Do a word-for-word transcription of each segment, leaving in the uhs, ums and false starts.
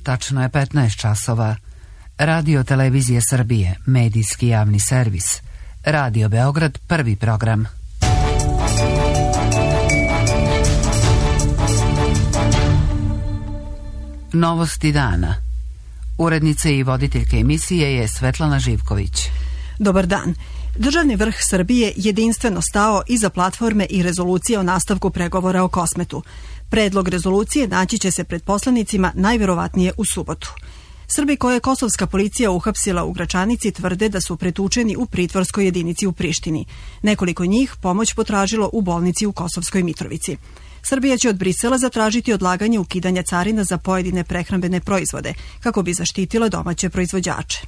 Tačno je petnaest časova. Radio Televizije Srbije, medijski javni servis. Radio Beograd, prvi program. Novosti dana. Urednica i voditeljka emisije je Svetlana Živković. Dobar dan. Državni vrh Srbije jedinstveno stao iza platforme i rezolucije o nastavku pregovora o Kosmetu. Predlog rezolucije naći će se pred poslanicima najverovatnije u subotu. Srbi koje je kosovska policija uhapsila u Gračanici tvrde da su pretučeni u pritvorskoj jedinici u Prištini. Nekoliko njih pomoć potražilo u bolnici u Kosovskoj Mitrovici. Srbija će od Brisela zatražiti odlaganje ukidanja carina za pojedine prehrambene proizvode, kako bi zaštitila domaće proizvođače.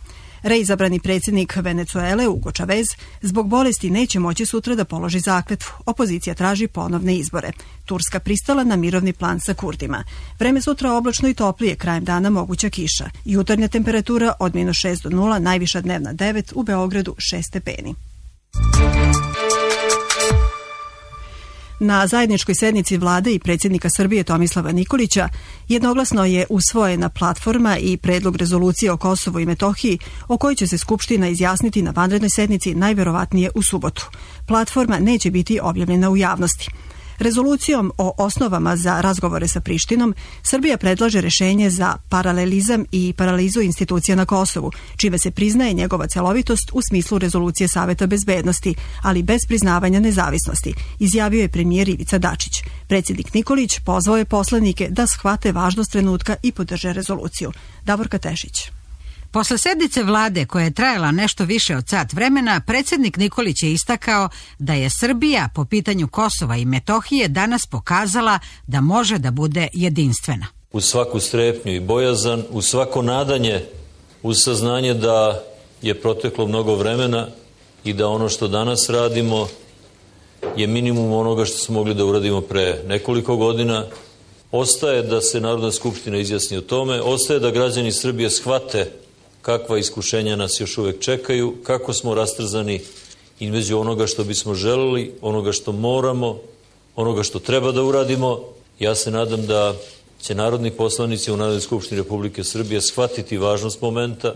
Reizabrani predsjednik Venecuele, Hugo Chavez, zbog bolesti neće moći sutra da položi zakletvu. Opozicija traži ponovne izbore. Turska pristala na mirovni plan sa Kurdima. Vreme sutra oblačno i toplije, krajem dana moguća kiša. Jutarnja temperatura od minus šest do nula, najviša dnevna devet, u Beogradu šest stepeni. Na zajedničkoj sednici vlade i predsjednika Srbije Tomislava Nikolića jednoglasno je usvojena platforma i predlog rezolucije o Kosovu i Metohiji, o kojoj će se Skupština izjasniti na vanrednoj sednici najverovatnije u subotu. Platforma neće biti objavljena u javnosti. Rezolucijom o osnovama za razgovore sa Prištinom, Srbija predlaže rešenje za paralelizam i paralizu institucija na Kosovu, čime se priznaje njegova celovitost u smislu rezolucije Saveta bezbednosti, ali bez priznavanja nezavisnosti, izjavio je premijer Ivica Dačić. Predsjednik Nikolić pozvao je poslanike da shvate važnost trenutka i podrže rezoluciju. Davorka Tešić. Posle sednice vlade koja je trajala nešto više od sat vremena, predsjednik Nikolić je istakao da je Srbija po pitanju Kosova i Metohije danas pokazala da može da bude jedinstvena. Uz svaku strepnju i bojazan, uz svako nadanje, uz saznanje da je proteklo mnogo vremena i da ono što danas radimo je minimum onoga što smo mogli da uradimo pre nekoliko godina, ostaje da se Narodna skupština izjasni o tome, ostaje da građani Srbije shvate kakva iskušenja nas još uvek čekaju, kako smo rastrzani između onoga što bismo želeli, onoga što moramo, onoga što treba da uradimo. Ja se nadam da će narodni poslanici u Narodnoj skupštini Republike Srbije shvatiti važnost momenta,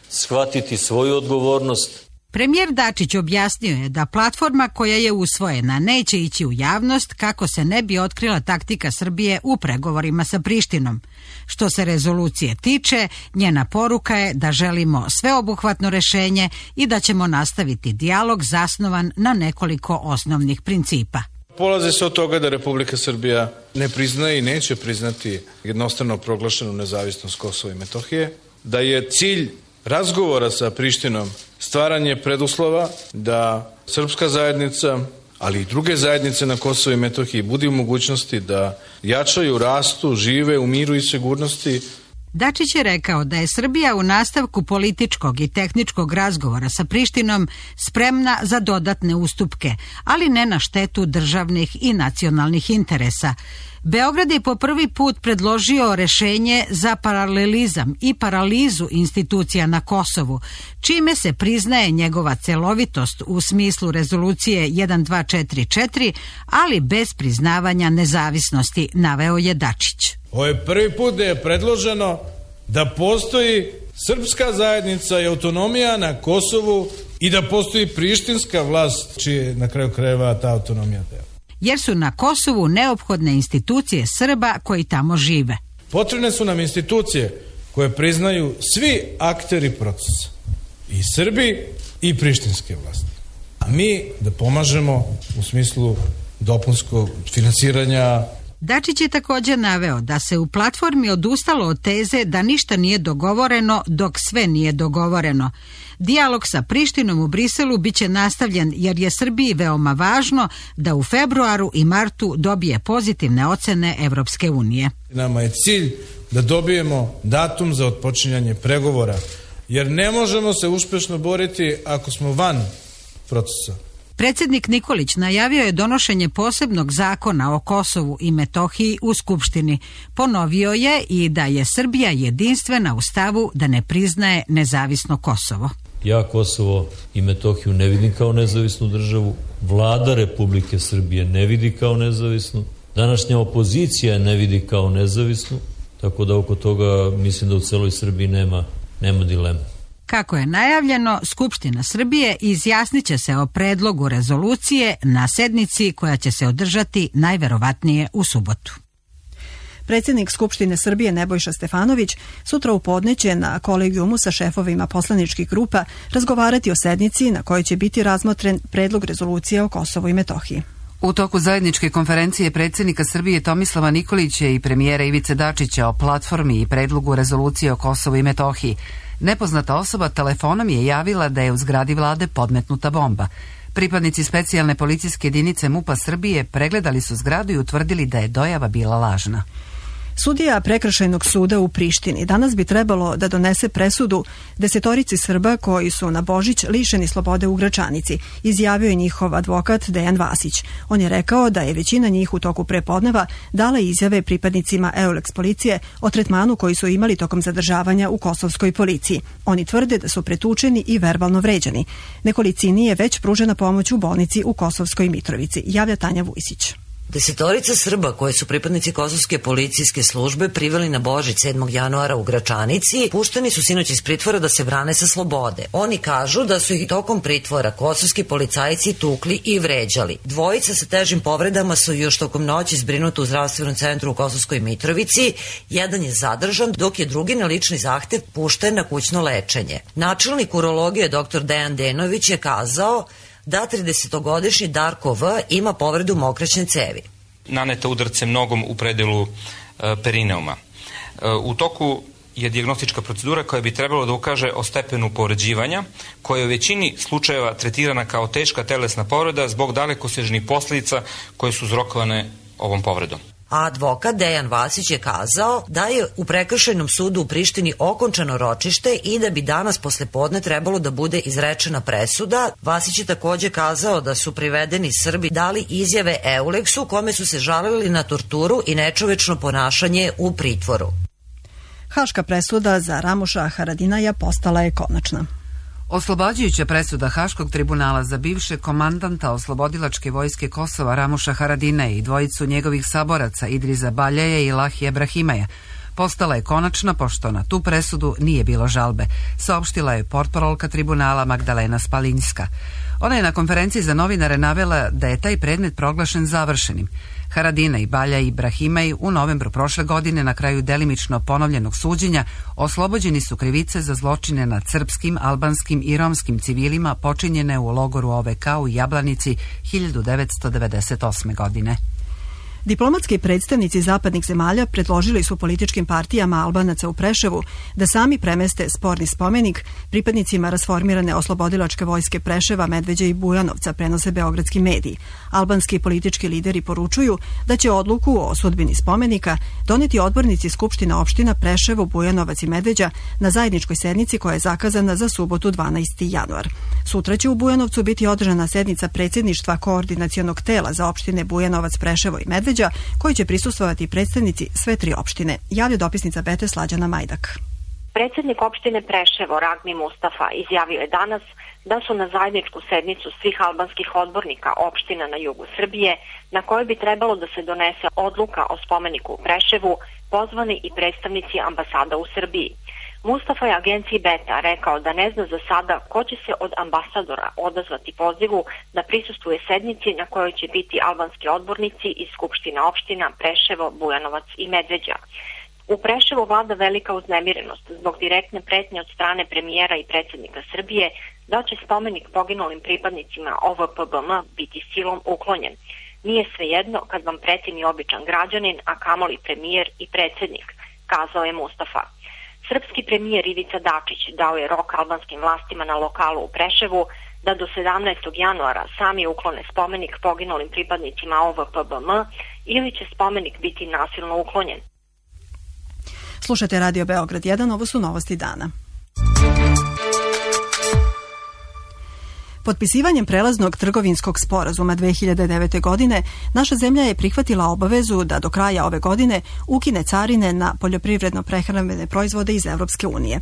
shvatiti svoju odgovornost. Premijer Dačić objasnio je da platforma koja je usvojena neće ići u javnost kako se ne bi otkrila taktika Srbije u pregovorima sa Prištinom. Što se rezolucije tiče, njena poruka je da želimo sveobuhvatno rešenje i da ćemo nastaviti dijalog zasnovan na nekoliko osnovnih principa. Polazi se od toga da Republika Srbija ne priznaje i neće priznati jednostrano proglašenu nezavisnost Kosova i Metohije, da je cilj razgovora sa Prištinom stvaranje preduslova da srpska zajednica, ali i druge zajednice na Kosovu i Metohiji budu u mogućnosti da jačaju, rastu, žive u miru i sigurnosti. Dačić je rekao da je Srbija u nastavku političkog i tehničkog razgovora sa Prištinom spremna za dodatne ustupke, ali ne na štetu državnih i nacionalnih interesa. Beograd je po prvi put predložio rešenje za paralelizam i paralizu institucija na Kosovu, čime se priznaje njegova celovitost u smislu rezolucije jedan dva četiri četiri, ali bez priznavanja nezavisnosti, naveo je Dačić. Ovo je prvi put da je predloženo da postoji srpska zajednica i autonomija na Kosovu i da postoji prištinska vlast, čije na kraju krajeva ta autonomija dela. Jer su na Kosovu neophodne institucije Srba koji tamo žive. Potrebne su nam institucije koje priznaju svi akteri procesa, i Srbi i prištinske vlasti. A mi da pomažemo u smislu dopunskog finansiranja. Dačić je također naveo da se u platformi odustalo od teze da ništa nije dogovoreno dok sve nije dogovoreno. Dijalog sa Prištinom u Briselu biće nastavljen jer je Srbiji veoma važno da u februaru i martu dobije pozitivne ocene Evropske unije. Nama je cilj da dobijemo datum za otpočinjanje pregovora, jer ne možemo se uspješno boriti ako smo van procesa. Predsjednik Nikolić najavio je donošenje posebnog zakona o Kosovu i Metohiji u Skupštini. Ponovio je i da je Srbija jedinstvena u stavu da ne priznaje nezavisno Kosovo. Ja Kosovo i Metohiju ne vidim kao nezavisnu državu, vlada Republike Srbije ne vidi kao nezavisnu, današnja opozicija ne vidi kao nezavisnu, tako da oko toga mislim da u celoj Srbiji nema, nema dilema. Kako je najavljeno, Skupština Srbije izjasnit će se o predlogu rezolucije na sednici koja će se održati najverovatnije u subotu. Predsjednik Skupštine Srbije Nebojša Stefanović sutra u podne će na kolegijumu sa šefovima poslaničkih grupa razgovarati o sednici na kojoj će biti razmotren predlog rezolucije o Kosovu i Metohiji. U toku zajedničke konferencije predsjednika Srbije Tomislava Nikolića i premijera Ivice Dačića o platformi i predlogu rezolucije o Kosovu i Metohiji, nepoznata osoba telefonom je javila da je u zgradi vlade podmetnuta bomba. Pripadnici specijalne policijske jedinice MUP-a Srbije pregledali su zgradu i utvrdili da je dojava bila lažna. Sudija Prekršajnog suda u Prištini danas bi trebalo da donese presudu desetorici Srba koji su na Božić lišeni slobode u Gračanici, izjavio je njihov advokat Dejan Vasić. On je rekao da je većina njih u toku prepodneva dala izjave pripadnicima Euleks policije o tretmanu koji su imali tokom zadržavanja u kosovskoj policiji. Oni tvrde da su pretučeni i verbalno vređani. Nekolicini je već pružena pomoć u bolnici u Kosovskoj Mitrovici, javlja Tanja Vujsić. Desetorica Srba koji su pripadnici kosovske policijske službe priveli na Božić sedmog januara u Gračanici, pušteni su sinoć iz pritvora da se brane sa slobode. Oni kažu da su ih tokom pritvora kosovski policajci tukli i vređali. Dvojica sa težim povredama su još tokom noći zbrinuti u zdravstvenom centru u Kosovskoj Mitrovici. Jedan je zadržan, dok je drugi na lični zahtev pušten na kućno lečenje. Načelnik urologije dr. Dejan Denović je kazao da tridesetogodišnji Darko V. ima povredu mokraćne cevi. Naneta udarcem nogom u predelu e, perineuma. E, u toku je dijagnostička procedura koja bi trebalo da ukaže o stepenu povređivanja, koja je u većini slučajeva tretirana kao teška telesna povreda zbog dalekosežnih posljedica koje su uzrokovane ovom povredom. A advokat Dejan Vasić je kazao da je u Prekršajnom sudu u Prištini okončano ročište i da bi danas poslepodne trebalo da bude izrečena presuda. Vasić je također kazao da su privedeni Srbi dali izjave Euleksu kome su se žalili na torturu i nečovečno ponašanje u pritvoru. Haška presuda za Ramuša Haradinaja postala je konačna. Oslobađajuća presuda Haškog tribunala za bivšeg komandanta oslobodilačke vojske Kosova Ramuša Haradinaja i dvojicu njegovih saboraca Idriza Baljaja i Lahija Brahimaja postala je konačna pošto na tu presudu nije bilo žalbe, saopštila je portparolka tribunala Magdalena Spalinjska. Ona je na konferenciji za novinare navela da je taj predmet proglašen završenim. Haradinaj, Baljaj i Brahimaj u novembru prošle godine na kraju delimično ponovljenog suđenja oslobođeni su krivice za zločine nad srpskim, albanskim i romskim civilima počinjene u logoru O V K u Jablanici hiljadu devetsto devedeset osme. godine. Diplomatski predstavnici zapadnih zemalja predložili su političkim partijama Albanaca u Preševu da sami premeste sporni spomenik pripadnicima rasformirane oslobodilačke vojske Preševa, Medveđe i Bujanovca, prenose beogradski mediji. Albanski politički lideri poručuju da će odluku o sudbini spomenika doneti odbornici Skupština opština Preševo, Bujanovac i Medveđa na zajedničkoj sednici koja je zakazana za subotu dvanaesti januar. Sutra će u Bujanovcu biti održana sednica predsjedništva koordinacionog tela za opštine Bujanovac, Preševo i Medveđa, koji će prisustvovati predstavnici sve tri opštine, javlja dopisnica Bete Slađana Majdak. Predsjednik opštine Preševo Ragmi Mustafa izjavio je danas da su na zajedničku sednicu svih albanskih odbornika opština na jugu Srbije, na kojoj bi trebalo da se donese odluka o spomeniku u Preševu, pozvani i predstavnici ambasada u Srbiji. Mustafa je agenciji Beta rekao da ne zna za sada ko će se od ambasadora odazvati pozivu da prisustvuje sednici na kojoj će biti albanski odbornici iz Skupština opština Preševo, Bujanovac i Medveđa. U Preševu vlada velika uznemirenost zbog direktne pretnje od strane premijera i predsjednika Srbije da će spomenik poginulim pripadnicima O V P B M biti silom uklonjen. Nije svejedno kad vam preti ni običan građanin, a kamoli premijer i predsjednik, kazao je Mustafa. Srpski premijer Ivica Dačić dao je rok albanskim vlastima na lokalu u Preševu da do sedamnaestog januara sami uklone spomenik poginulim pripadnicima O V P B M ili će spomenik biti nasilno uklonjen. Slušajte Radio Beograd jedan, ovo su novosti dana. Potpisivanjem prelaznog trgovinskog sporazuma dve hiljade devete. godine naša zemlja je prihvatila obavezu da do kraja ove godine ukine carine na poljoprivredno-prehrambene proizvode iz Evropske unije.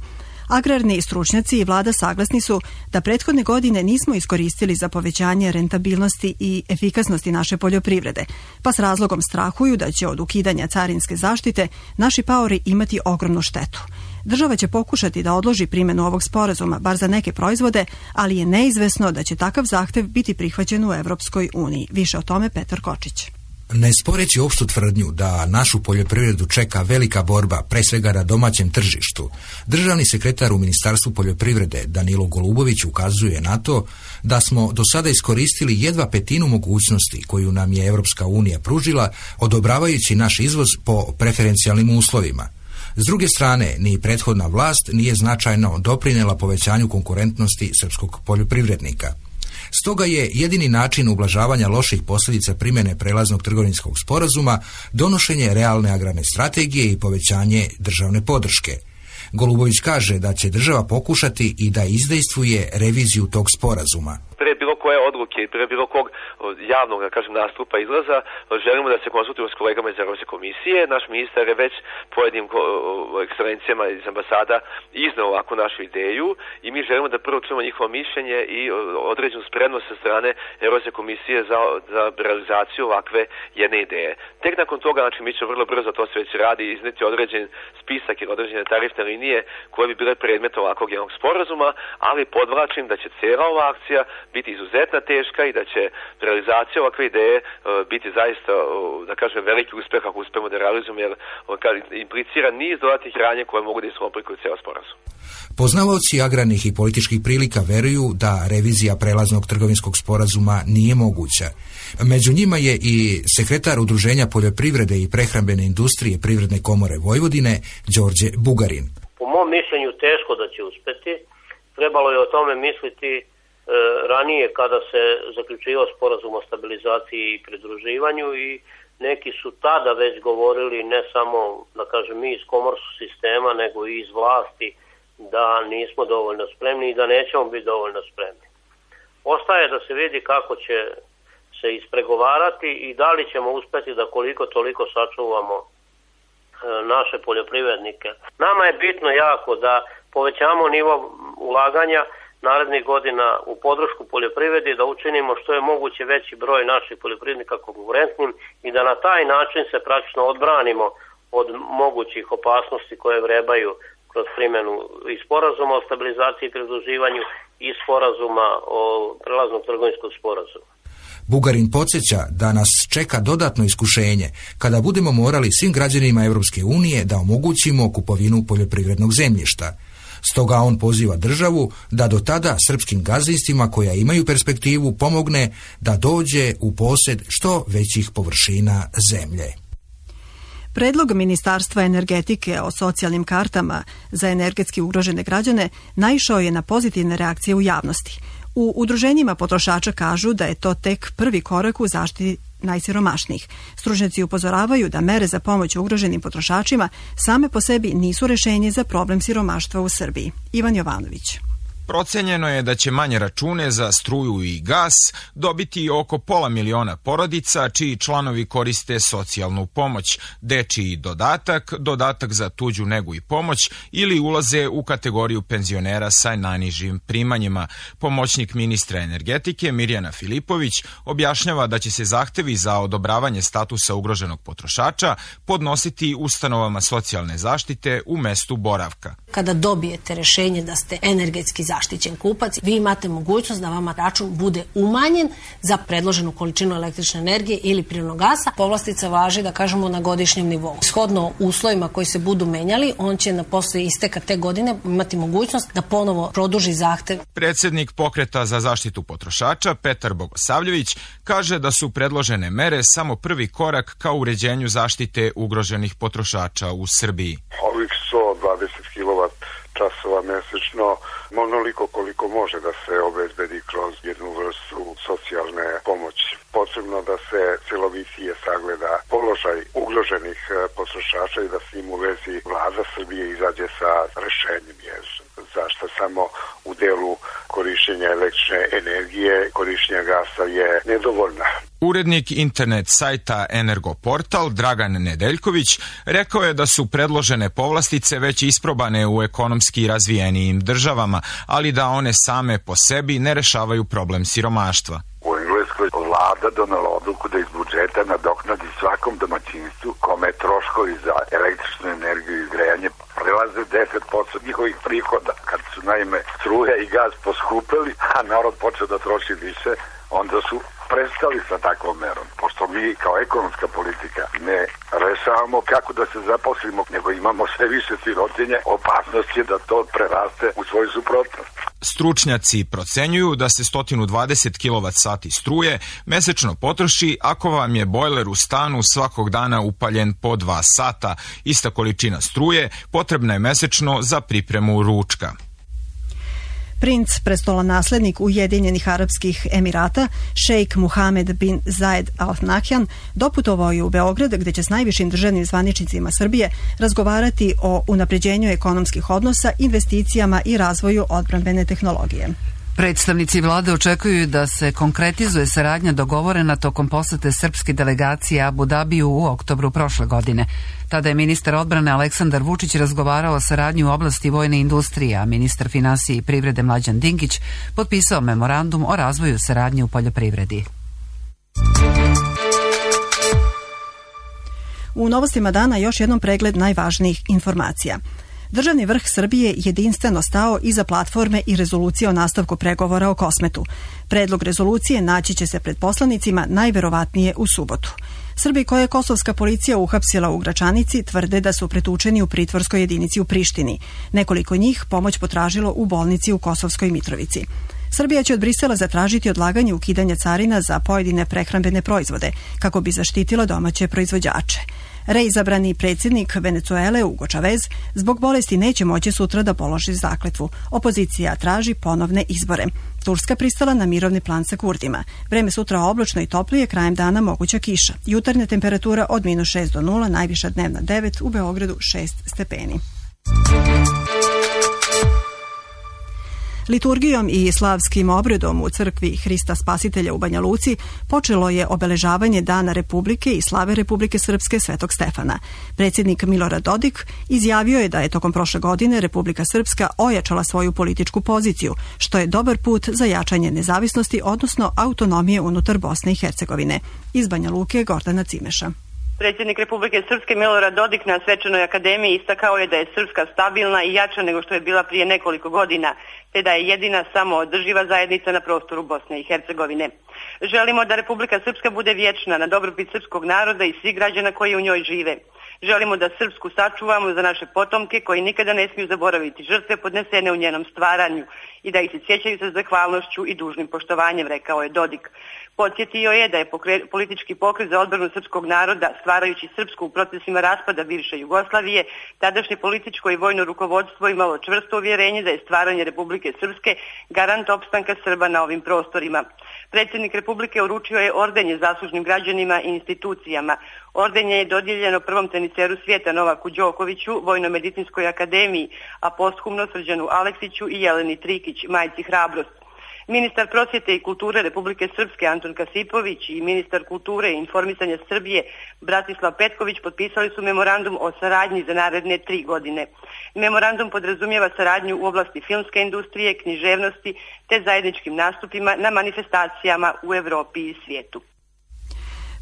Agrarni stručnjaci i vlada saglasni su da prethodne godine nismo iskoristili za povećanje rentabilnosti i efikasnosti naše poljoprivrede, pa s razlogom strahuju da će od ukidanja carinske zaštite naši paori imati ogromnu štetu. Država će pokušati da odloži primjenu ovog sporazuma, bar za neke proizvode, ali je neizvesno da će takav zahtev biti prihvaćen u Evropskoj uniji. Više o tome Petar Kočić. Ne sporeći opštu tvrdnju da našu poljoprivredu čeka velika borba, pre svega na domaćem tržištu, državni sekretar u Ministarstvu poljoprivrede Danilo Golubović ukazuje na to da smo do sada iskoristili jedva petinu mogućnosti koju nam je Evropska unija pružila, odobravajući naš izvoz po preferencijalnim uslovima. S druge strane, ni prethodna vlast nije značajno doprinela povećanju konkurentnosti srpskog poljoprivrednika. Stoga je jedini način ublažavanja loših posljedica primjene prelaznog trgovinskog sporazuma donošenje realne agrarne strategije i povećanje državne podrške. Golubović kaže da će država pokušati i da izdejstvuje reviziju tog sporazuma. Pre bilo koje odluke i pre bilo kog javnog, da kažem, nastupa izlaza, želimo da se konsultujemo s kolegama iz Evropske komisije. Naš ministar je već pojedinim ekscelencijama iz ambasada izneo ovakvu našu ideju i mi želimo da prvo čujemo njihovo mišljenje i određenu spremnost sa strane Evropske komisije za, za realizaciju ovakve jedne ideje. Tek nakon toga, znači, mi ćemo vrlo brzo, to se već radi, izneti određen spisak ili određene tarifne linije koje bi bile predmet ovakvog jednog sporazuma, ali podvlačim da će cijela ova akcija biti izuzetno teška i da će realizacija ovakve ideje uh, biti zaista, uh, da kažem, veliki uspjeh ako uspemo da realizujemo, jer uh, implicira niz dodatnih radnje koje mogu da iskomplikuju cijel sporazum. Poznavaoci agrarnih i političkih prilika veruju da revizija prelaznog trgovinskog sporazuma nije moguća. Među njima je i sekretar Udruženja poljoprivrede i prehrambene industrije Privredne komore Vojvodine, Đorđe Bugarin. Po mom mišljenju teško da će uspeti. Trebalo je o tome misliti e, ranije kada se zaključivao sporazum o stabilizaciji i pridruživanju i neki su tada već govorili, ne samo, da kažem, mi iz komorskog sistema, nego i iz vlasti, da nismo dovoljno spremni i da nećemo biti dovoljno spremni. Ostaje da se vidi kako će se ispregovarati i da li ćemo uspjeti da koliko toliko sačuvamo e, naše poljoprivrednike. Nama je bitno jako da povećamo nivo ulaganja narednih godina u podršku poljoprivredi, da učinimo što je moguće veći broj naših poljoprivrednika konkurentnim i da na taj način se praktično odbranimo od mogućih opasnosti koje vrebaju kroz primjenu i sporazuma o stabilizaciji i pridruživanju i sporazuma o prelaznog trgovinskog sporazuma. Bugarin podsjeća da nas čeka dodatno iskušenje kada budemo morali svim građanima Europske unije da omogućimo kupovinu poljoprivrednog zemljišta. Stoga on poziva državu da do tada srpskim gazdinstvima koja imaju perspektivu pomogne da dođe u posjed što većih površina zemlje. Predlog Ministarstva energetike o socijalnim kartama za energetski ugrožene građane naišao je na pozitivne reakcije u javnosti. U udruženjima potrošača kažu da je to tek prvi korak u zaštiti najsiromašnijih. Stručnjaci upozoravaju da mere za pomoć ugroženim potrošačima same po sebi nisu rešenje za problem siromaštva u Srbiji. Ivan Jovanović. Procenjeno je da će manje račune za struju i gas dobiti oko pola miliona porodica čiji članovi koriste socijalnu pomoć, dečiji dodatak, dodatak za tuđu negu i pomoć ili ulaze u kategoriju penzionera sa najnižim primanjima. Pomoćnik ministra energetike Mirjana Filipović objašnjava da će se zahtevi za odobravanje statusa ugroženog potrošača podnositi ustanovama socijalne zaštite u mestu boravka. Kada dobijete rešenje da ste energetski zaštićen kupac, vi imate mogućnost da vama račun bude umanjen za predloženu količinu električne energije ili prirodnog gasa. Povlastica važi, da kažemo, na godišnjem nivou. Shodno uslovima koji se budu menjali, on će na posle isteka te godine imati mogućnost da ponovo produži zahtev. Predsednik Pokreta za zaštitu potrošača Petar Bogosavljević kaže da su predložene mere samo prvi korak ka uređenju zaštite ugroženih potrošača u Srbiji. Ovih sto dvadeset kilovat časova mesečno, onoliko koliko može da se obezbedi kroz jednu vrstu socijalne pomoći. Potrebno da se celovitije sagleda položaj ugroženih potrošača i da s njim u vezi vlada Srbije izađe sa rešenjem, jer zašto samo u delu korišćenja električne energije, korišćenja gasa je nedovoljna. Urednik internet sajta Energoportal Dragan Nedeljković rekao je da su predložene povlastice već isprobane u ekonomski razvijenijim državama, ali da one same po sebi ne rešavaju problem siromaštva. U Engleskoj vlada donala odluku da iz budžeta nadoknadi svakom domaćinstvu kome troškovi za električnu energiju i grejanje prelaze deset posto njihovih prihoda. Kad su naime struja i gaz poskupeli, a narod počeo da troši više, onda su prestali sa takvom merom. Pošto mi kao ekonomska politika ne rešavamo kako da se zaposlimo, nego imamo sve više sirotinje, opasnost je da to preraste u svoju suprotnost. Stručnjaci procenjuju da se sto dvadeset kilovat sati struje mesečno potroši ako vam je bojler u stanu svakog dana upaljen po dva sata. Ista količina struje potrebna je mesečno za pripremu ručka. Princ, prestolonaslednik Ujedinjenih Arapskih Emirata, šejk Muhamed bin Zayed Al Nahyan, doputovao je u Beograd gde će s najvišim državnim zvaničnicima Srbije razgovarati o unapređenju ekonomskih odnosa, investicijama i razvoju odbrambene tehnologije. Predstavnici vlade očekuju da se konkretizuje saradnja dogovorena tokom posete srpske delegacije Abu Dabiju u oktobru prošle godine. Tada je ministar odbrane Aleksandar Vučić razgovarao o saradnji u oblasti vojne industrije, a ministar finansije i privrede Mlađan Dinkić potpisao memorandum o razvoju saradnje u poljoprivredi. U novostima dana još jednom pregled najvažnijih informacija. Državni vrh Srbije jedinstveno stao iza platforme i rezolucije o nastavku pregovora o Kosmetu. Predlog rezolucije naći će se pred poslanicima najverovatnije u subotu. Srbi koje je kosovska policija uhapsila u Gračanici tvrde da su pretučeni u pritvorskoj jedinici u Prištini. Nekoliko njih pomoć potražilo u bolnici u Kosovskoj Mitrovici. Srbija će od Brisela zatražiti odlaganje ukidanja carina za pojedine prehrambene proizvode, kako bi zaštitila domaće proizvođače. Reizabrani predsjednik Venecuele Hugo Chavez zbog bolesti neće moći sutra da položi zakletvu. Opozicija traži ponovne izbore. Turska pristala na mirovni plan sa Kurdima. Vreme sutra oblačno i toplije, krajem dana moguća kiša. Jutarnja temperatura od minus šest do nula, najviša dnevna devet, u Beogradu šest stepeni. Liturgijom i slavskim obredom u crkvi Hrista Spasitelja u Banja Luci počelo je obeležavanje Dana Republike i slave Republike Srpske Svetog Stefana. Predsjednik Milorad Dodik izjavio je da je tokom prošle godine Republika Srpska ojačala svoju političku poziciju, što je dobar put za jačanje nezavisnosti, odnosno autonomije unutar Bosne i Hercegovine. Iz Banja Luke Gordana Cimeša. Predsjednik Republike Srpske Milorad Dodik na Svečanoj akademiji istakao je da je Srpska stabilna i jača nego što je bila prije nekoliko godina, te da je jedina samo održiva zajednica na prostoru Bosne i Hercegovine. Želimo da Republika Srpska bude vječna na dobrobit srpskog naroda i svih građana koji u njoj žive. Želimo da Srpsku sačuvamo za naše potomke koji nikada ne smiju zaboraviti žrtve podnesene u njenom stvaranju i da ih se sjećaju sa zahvalnošću i dužnim poštovanjem, rekao je Dodik. Podsjetio je da je pokre, politički pokret za odbranu srpskog naroda, stvarajući Srpsku u procesima raspada bivše Jugoslavije, tadašnje političko i vojno rukovodstvo imalo čvrsto uvjerenje da je stvaranje Republike Srpske garant opstanka Srba na ovim prostorima. Predsjednik Republike uručio je ordenje zaslužnim građanima i institucijama. Ordenje je dodijeljeno prvom teniseru svijeta Novaku Đokoviću, Vojno-medicinskoj akademiji, a posthumno Srđanu Aleksiću i Jeleni Trikić, majci Hrabrost. Ministar prosvjete i kulture Republike Srpske Anton Kasipović i ministar kulture i informisanja Srbije Bratislav Petković potpisali su memorandum o saradnji za naredne tri godine. Memorandum podrazumijeva saradnju u oblasti filmske industrije, književnosti te zajedničkim nastupima na manifestacijama u Europi i svijetu.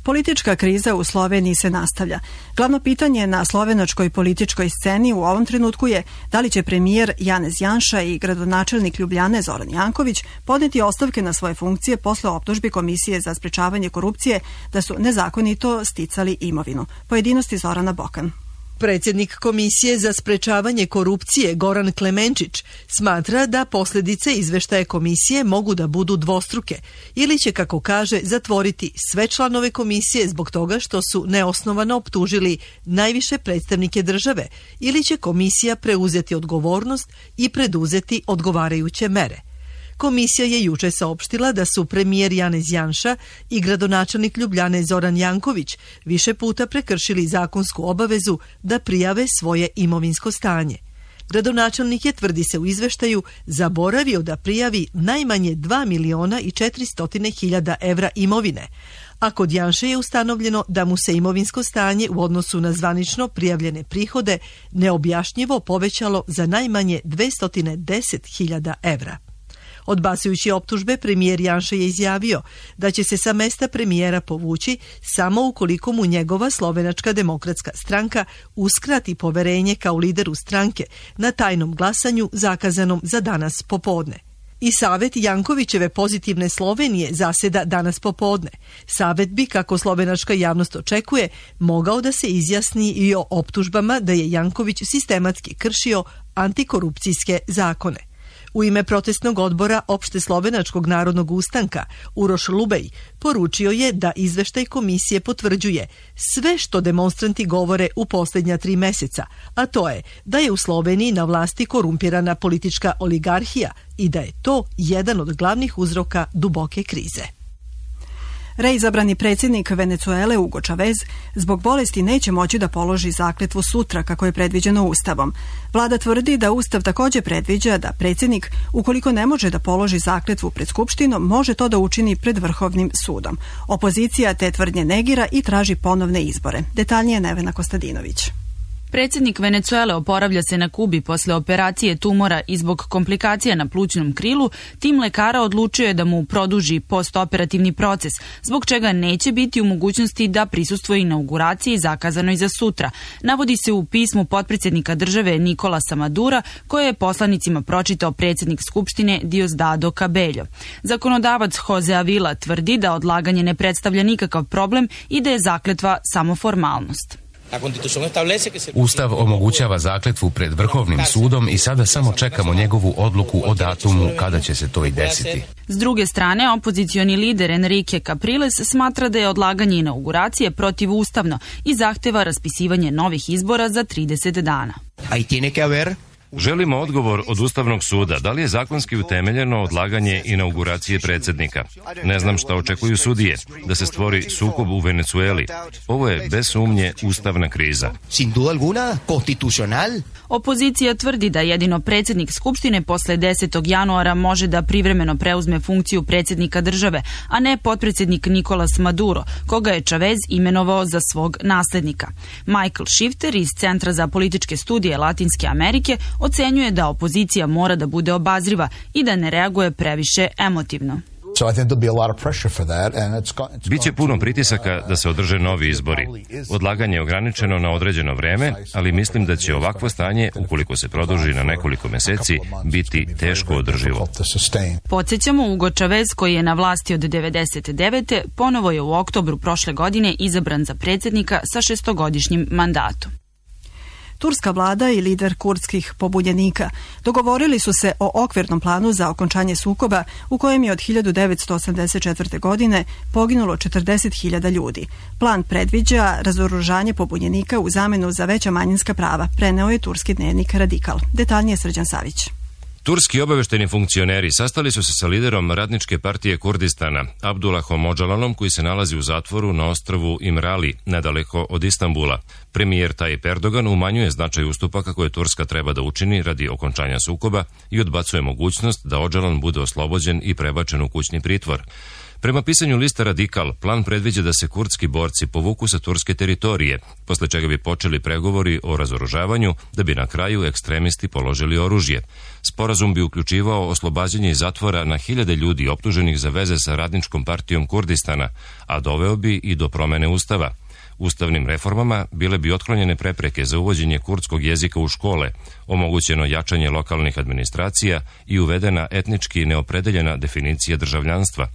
Politička kriza u Sloveniji se nastavlja. Glavno pitanje na slovenačkoj političkoj sceni u ovom trenutku je da li će premijer Janez Janša i gradonačelnik Ljubljane Zoran Janković podneti ostavke na svoje funkcije posle optužbi Komisije za sprečavanje korupcije da su nezakonito sticali imovinu. Pojedinosti Zorana Bokan. Predsjednik Komisije za sprečavanje korupcije Goran Klemenčić smatra da posljedice izveštaja komisije mogu da budu dvostruke ili će, kako kaže, zatvoriti sve članove komisije zbog toga što su neosnovano optužili najviše predstavnike države ili će komisija preuzeti odgovornost i preduzeti odgovarajuće mere. Komisija je juče saopštila da su premijer Janez Janša i gradonačelnik Ljubljane Zoran Janković više puta prekršili zakonsku obavezu da prijave svoje imovinsko stanje. Gradonačelnik je, tvrdi se u izveštaju, zaboravio da prijavi najmanje dva miliona i četiristo hiljada evra imovine, a kod Janše je ustanovljeno da mu se imovinsko stanje u odnosu na zvanično prijavljene prihode neobjašnjivo povećalo za najmanje dvesta deset hiljada evra. Odbacujući optužbe, premijer Janša je izjavio da će se sa mesta premijera povući samo ukoliko mu njegova Slovenačka demokratska stranka uskrati poverenje kao lideru stranke na tajnom glasanju zakazanom za danas popodne. I Savet Jankovićeve pozitivne Slovenije zaseda danas popodne. Savet bi, kako slovenačka javnost očekuje, mogao da se izjasni i o optužbama da je Janković sistematski kršio antikorupcijske zakone. U ime protestnog odbora Opšte slovenačkog narodnog ustanka Uroš Lubej poručio je da izveštaj komisije potvrđuje sve što demonstranti govore u posljednja tri meseca, a to je da je u Sloveniji na vlasti korumpirana politička oligarhija i da je to jedan od glavnih uzroka duboke krize. Reizabrani predsjednik Venecuele Hugo Chavez zbog bolesti neće moći da položi zakletvu sutra kako je predviđeno Ustavom. Vlada tvrdi da Ustav također predviđa da predsjednik, ukoliko ne može da položi zakletvu pred Skupštinom, može to da učini pred Vrhovnim sudom. Opozicija te tvrdnje negira i traži ponovne izbore. Detaljnije Nevena Kostadinović. Predsjednik Venecuele oporavlja se na Kubi posle operacije tumora i zbog komplikacija na plućnom krilu. Tim lekara odlučio je da mu produži postoperativni proces, zbog čega neće biti u mogućnosti da prisustvuje inauguraciji zakazanoj za sutra. Navodi se u pismu potpredsjednika države Nikolasa Madura, koje je poslanicima pročitao predsjednik Skupštine Diosdado Cabello. Zakonodavac Jose Avila tvrdi da odlaganje ne predstavlja nikakav problem i da je zakletva samo formalnost. Ustav omogućava zakletvu pred Vrhovnim sudom i sada samo čekamo njegovu odluku o datumu kada će se to i desiti. S druge strane, opozicioni lider Enrique Capriles smatra da je odlaganje inauguracije protivustavno i zahteva raspisivanje novih izbora za trideset dana. Želimo odgovor od Ustavnog suda. Da li je zakonski utemeljeno odlaganje inauguracije predsjednika? Ne znam šta očekuju sudije. Da se stvori sukob u Venecueli. Ovo je bez sumnje ustavna kriza. Opozicija tvrdi da jedino predsjednik Skupštine posle desetog januara može da privremeno preuzme funkciju predsjednika države, a ne potpredsjednik Nicolas Maduro, koga je Chavez imenovao za svog naslednika. Michael Shifter iz Centra za političke studije Latinske Amerike ocenjuje da opozicija mora da bude obazriva i da ne reaguje previše emotivno. Biće puno pritisaka da se održe novi izbori. Odlaganje je ograničeno na određeno vreme, ali mislim da će ovakvo stanje, ukoliko se produži na nekoliko meseci, biti teško održivo. Podsjećamo, Hugo Chavez, koji je na vlasti od devedeset devete. ponovo je u oktobru prošle godine izabran za predsjednika sa šestogodišnjim mandatom. Turska vlada i lider kurdskih pobunjenika dogovorili su se o okvirnom planu za okončanje sukoba u kojem je od hiljadu devetsto osamdeset četvrte. godine poginulo četrdeset hiljada ljudi. Plan predviđa razoružanje pobunjenika u zamenu za veća manjinska prava, preneo je turski dnevnik Radikal. Detaljnije Srđan Savić. Turski obavešteni funkcioneri sastali su se sa liderom Radničke partije Kurdistana, Abdullahom Öcalanom, koji se nalazi u zatvoru na ostrvu Imrali, nedaleko od Istanbula. Premijer Tayyip Erdogan umanjuje značaj ustupaka koje Turska treba da učini radi okončanja sukoba i odbacuje mogućnost da Öcalan bude oslobođen i prebačen u kućni pritvor. Prema pisanju lista Radikal, plan predviđa da se kurdski borci povuku sa turske teritorije, posle čega bi počeli pregovori o razoružavanju, da bi na kraju ekstremisti položili oružje. Sporazum bi uključivao oslobađanje iz zatvora na hiljade ljudi optuženih za veze sa Radničkom partijom Kurdistana, a doveo bi i do promene ustava. Ustavnim reformama bile bi otklonjene prepreke za uvođenje kurdskog jezika u škole, omogućeno jačanje lokalnih administracija i uvedena etnički neopredeljena definicija državljanstva.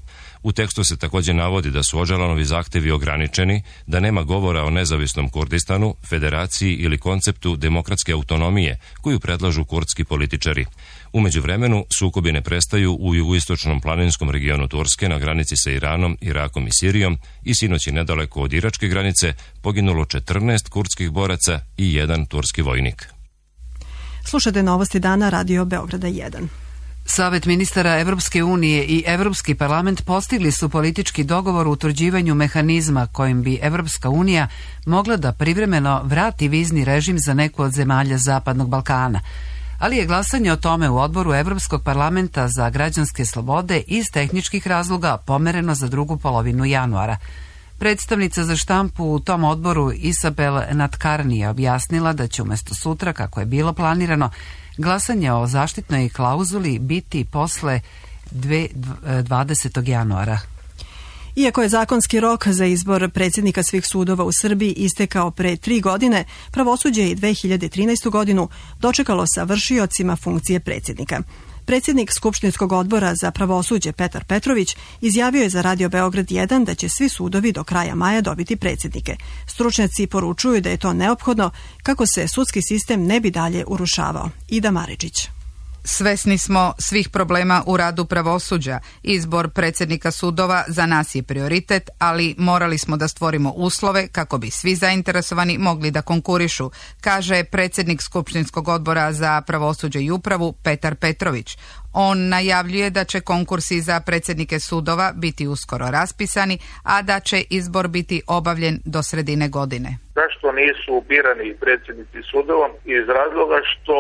U tekstu se također navodi da su Öcalanovi zahtevi ograničeni, da nema govora o nezavisnom Kurdistanu, federaciji ili konceptu demokratske autonomije koju predlažu kurdski političari. U međuvremenu, sukobi ne prestaju u jugoistočnom planinskom regionu Turske na granici sa Iranom, Irakom i Sirijom i sinoć je nedaleko od iračke granice poginulo četrnaest kurdskih boraca i jedan turski vojnik. Slušate novosti dana Radio Beograda jedan. Savet ministara Evropske unije i Evropski parlament postigli su politički dogovor u utvrđivanju mehanizma kojim bi Evropska unija mogla da privremeno vrati vizni režim za neku od zemalja Zapadnog Balkana. ali je glasanje o tome u odboru Evropskog parlamenta za građanske slobode iz tehničkih razloga pomereno za drugu polovinu januara. Predstavnica za štampu u tom odboru Isabel Natkarni je objasnila da će umjesto sutra, kako je bilo planirano, glasanje o zaštitnoj klauzuli biti posle dvadesetog januara. Iako je zakonski rok za izbor predsjednika svih sudova u Srbiji istekao pre tri godine, pravosuđe je i dve hiljade trinaestu. godinu dočekalo sa vršiocima funkcije predsjednika. Predsjednik Skupštinskog odbora za pravosuđe Petar Petrović izjavio je za Radio Beograd jedan da će svi sudovi do kraja maja dobiti predsjednike. Stručnjaci poručuju da je to neophodno kako se sudski sistem ne bi dalje urušavao. Ida Maričić. Svesni smo svih problema u radu pravosuđa. Izbor predsjednika sudova za nas je prioritet, ali morali smo da stvorimo uslove kako bi svi zainteresovani mogli da konkurišu, kaže predsjednik Skupštinskog odbora za pravosuđe i upravu Petar Petrović. On najavljuje da će konkursi za predsjednike sudova biti uskoro raspisani, a da će izbor biti obavljen do sredine godine. Zašto nisu birani predsjednici sudova? Iz razloga što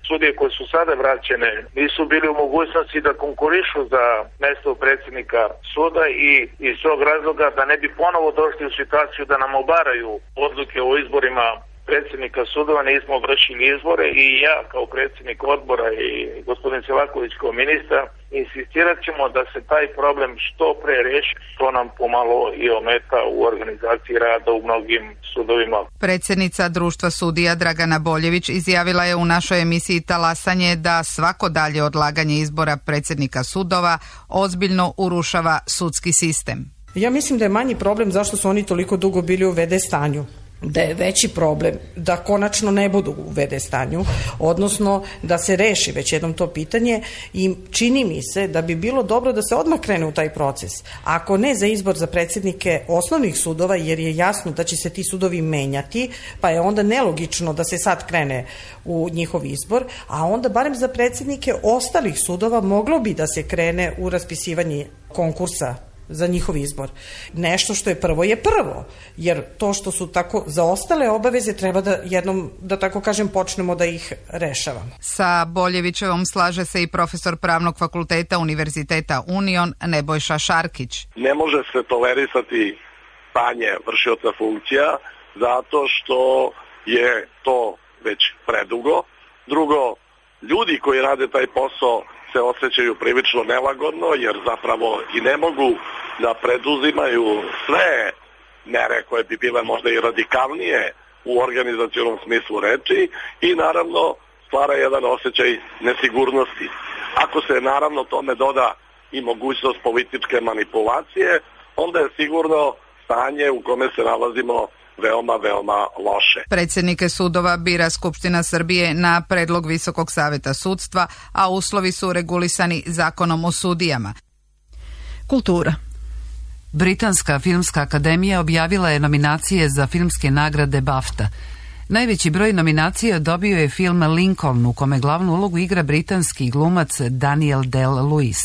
sudije koje su sada vraćene nisu bili u mogućnosti da konkurišu za mjesto predsjednika suda i iz tog razloga da ne bi ponovo došli u situaciju da nam obaraju odluke o izborima predsjednika sudova, nismo vršili izbore i ja kao predsjednik odbora i gospodin Selaković kao ministar insistirat ćemo da se taj problem što pre reši, to nam pomalo i ometa u organizaciji rada u mnogim sudovima. Predsjednica Društva sudija Dragana Boljević izjavila je u našoj emisiji Talasanje da svako dalje odlaganje izbora predsjednika sudova ozbiljno urušava sudski sistem. Ja mislim da je manji problem zašto su oni toliko dugo bili u ve de stanju. Da je veći problem da konačno ne budu u ve de stanju, odnosno da se reši već jednom to pitanje i čini mi se da bi bilo dobro da se odmah krene u taj proces. Ako ne za izbor za predsjednike osnovnih sudova, jer je jasno da će se ti sudovi menjati, pa je onda nelogično da se sad krene u njihov izbor, a onda barem za predsjednike ostalih sudova moglo bi da se krene u raspisivanje konkursa za njihov izbor. Nešto što je prvo je prvo, jer to što su tako zaostale obaveze treba da jednom, da tako kažem, počnemo da ih rešavamo. Sa Boljevićevom slaže se i profesor Pravnog fakulteta Univerziteta Union Nebojša Šarkić. Ne može se tolerisati stanje vršioca funkcija zato što je to već predugo. Drugo, ljudi koji rade taj posao se osjećaju prilično nelagodno jer zapravo i ne mogu da preduzimaju sve mere koje bi bile možda i radikalnije u organizacionom smislu reči i naravno stvara jedan osjećaj nesigurnosti. Ako se naravno tome doda i mogućnost političke manipulacije, onda je sigurno stanje u kome se nalazimo veoma, veoma loše. Predsjednike sudova bira Skupština Srbije na predlog Visokog saveta sudstva, a uslovi su regulisani zakonom o sudijama. Kultura. Britanska filmska akademija objavila je nominacije za filmske nagrade BAFTA. Najveći broj nominacija dobio je film Lincoln, u kome glavnu ulogu igra britanski glumac Daniel Day-Lewis.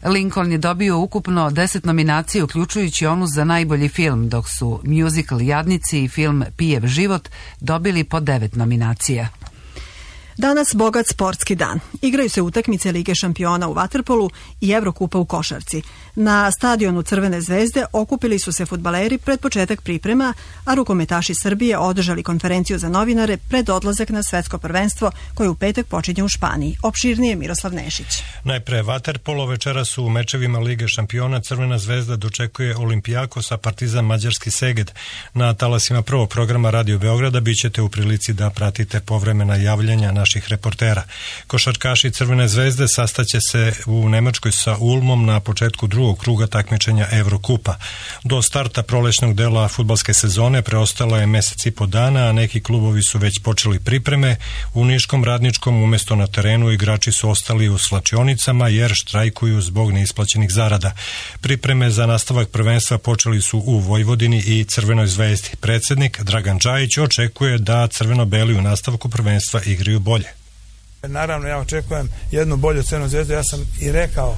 Lincoln je dobio ukupno deset nominacija, uključujući onu za najbolji film, dok su musical Jadnici i film Pijev život dobili po devet nominacija. Danas bogat sportski dan. Igraju se utakmice Lige šampiona u vaterpolu i Evrokupa u košarci. Na stadionu Crvene zvezde okupili su se fudbaleri pred početak priprema, a rukometaši Srbije održali konferenciju za novinare pred odlazak na svetsko prvenstvo koje u petak počinje u Španiji. Opširnije Miroslav Nešić. Najpre vaterpolo, večera su u mečevima Lige šampiona Crvena zvezda dočekuje Olimpijakos, a Partizan mađarski Seged. Na talasima prvog programa Radio Beograda bit ćete u prilici da pratite povremena javljanja naših reportera. Košarkaši Crvene zvezde sastaće se u Nemačkoj sa Ulmom na početku drugog kruga takmičenja Evrokupa. Do starta prolećnog dela fudbalske sezone preostalo je mesec i po dana, a neki klubovi su već počeli pripreme. U Niškom Radničkom umjesto na terenu igrači su ostali u slačionicama jer štrajkuju zbog neisplaćenih zarada. Pripreme za nastavak prvenstva počeli su u Vojvodini i Crvenoj zvezdi. Predsjednik Dragan Đajić očekuje da crveno-beli u nastavku prvenstva igraju bolje. Naravno, ja očekujem jednu bolju Crvenu zvezdu. Ja sam i rekao,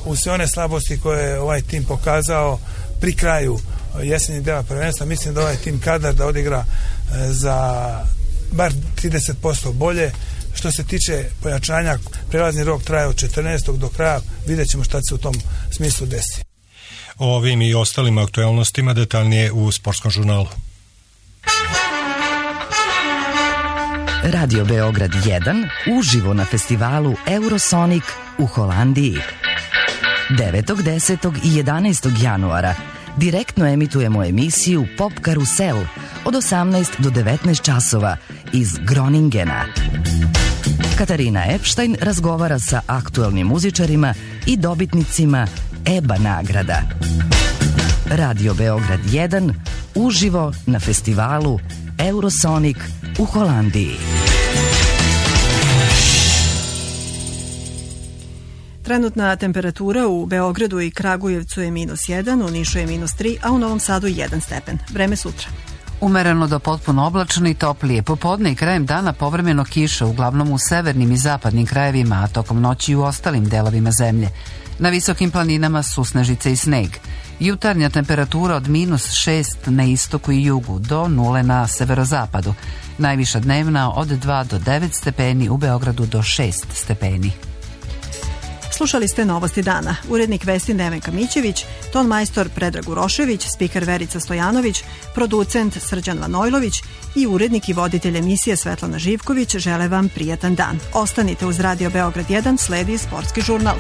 u sve one slabosti koje je ovaj tim pokazao pri kraju jesenjeg dela prvenstva, mislim da ovaj tim kadar da odigra za bar trideset posto bolje, Što se tiče pojačanja, prelazni rok traje od četrnaestog do kraja, vidjet ćemo šta se u tom smislu desi. O ovim i ostalim aktualnostima detaljnije u Sportskom žurnalu. Radio Beograd jedan uživo na festivalu Eurosonic u Holandiji. devetog, desetog i jedanaestog januara direktno emitujemo emisiju Pop Karusel od osamnaest do devetnaest časova iz Groningena. Katarina Epstein razgovara sa aktuelnim muzičarima i dobitnicima E B A nagrada. Radio Beograd jedan uživo na festivalu Eurosonic u Holandiji. Trenutna temperatura u Beogradu i Kragujevcu je minus jedan, u Nišu je minus tri, a u Novom Sadu jedan stepen. Vreme sutra. Umereno do potpuno oblačno i toplije. Popodne i krajem dana povremeno kiša, uglavnom u severnim i zapadnim krajevima, a tokom noći i u ostalim delovima zemlje. Na visokim planinama susnežice i sneg. Jutarnja temperatura od minus šest na istoku i jugu do nule na severozapadu. Najviša dnevna od dva do devet stepeni, u Beogradu do šest stepeni. Slušali ste Novosti dana. Urednik vesti Nevenka Mićević, ton majstor Predrag Urošević, spiker Verica Stojanović, producent Srđan Vanojlović i urednik i voditelj emisije Svetlana Živković žele vam prijatan dan. Ostanite uz Radio Beograd jedan, sledi Sportski žurnal.